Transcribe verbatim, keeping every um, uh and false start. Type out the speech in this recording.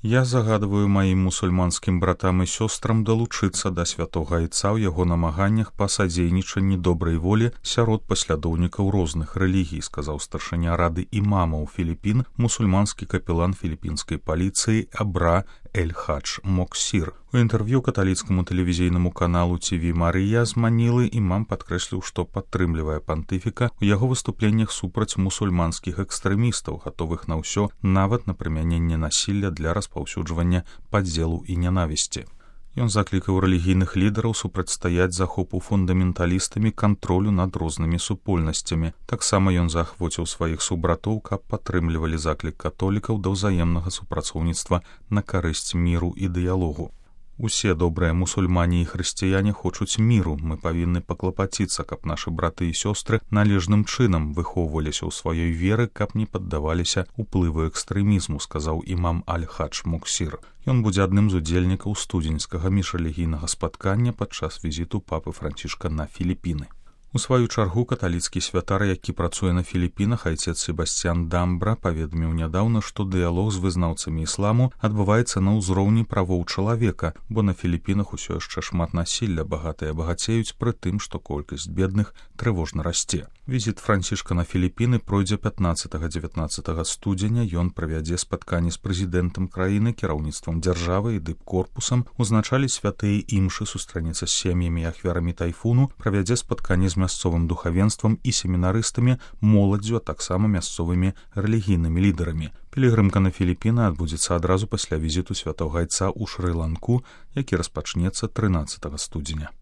Я загадваю маім мусульманскім братам і сёстрам далучыцца да святога айца ў яго намаганнях па садзейнічанні добрай волі сярод паслядоўнікаў розных рэлігій, сказаў старшыня рады імамаў Філіпін, мусульманскі капелан філіпінскай паліцыі Абра Эль-Хадж Моксір. У інтэрв'ю каталіцкаму тэлевізійнаму каналу Ці Ви Марыя з Манілы імам падкрэсліў, што падтрымлівае пантыфіка ў яго выступленнях супраць мусульманскіх экстрэмістаў, гатовых на ўсё, нават на прымяненне насілля для распаўсюджвання падзелу і нянавісці. Ён заклікаў рэлігійных лідараў супрацьстаяць захопу фундаменталістамі кантролю над рознымі супольнасцямі. Таксама ён заахвоціў сваіх субратоў, каб падтрымлівалі заклік католікаў да ўзаемнага супрацоўніцтва на карысць міру і дыялогу. Усе добрыя мусульмане і хрысціяне хочуць міру. Мы павінны паклапаціцца, каб нашы браты і сёстры належным чынам выхоўваліся ў сваёй веры, каб не паддаваліся ўплыву экстрэмізму, сказаў імам Аль-Хадж Моксір. Ён будзе адным з удзельнікаў студзеньскага міжрэлігійнага спаткання падчас візіту папы Францішка на Філіпіны. У сваю чаргу каталіцкі святар, які працуе на Філіпінах, айцец Себасцьян Дамбра, паведаміў нядаўна, што дыялог з вызнаўцамі ісламу адбываецца на ўзроўні правоў чалавека, бо на Філіпінах усё яшчэ шмат насілля, багатыя багацеюць, пры тым, што колькасць бедных трывожна расце. Візіт Францішка на Філіпіны пройдзе пятнаццатага-дзевятнаццатага студзеня. Ён правядзе спатканне з прэзідэнтам краіны, кіраўніцтвам дзяржавы і дыпкорпусам, узначаліць святыя імшы, сустранецца з сем'ямі і ахвярамі тайфуну, правядзе спатканне з мясцовым духавенствам і семінарыстамі, моладдзю, а таксама мясцовымі рэлігійнымі лідарамі. Пілігрымка на Філіпіны адбудзецца адразу пасля візіту святога айца ў Шры-Ланку, які распачнецца трынаццатага студзеня.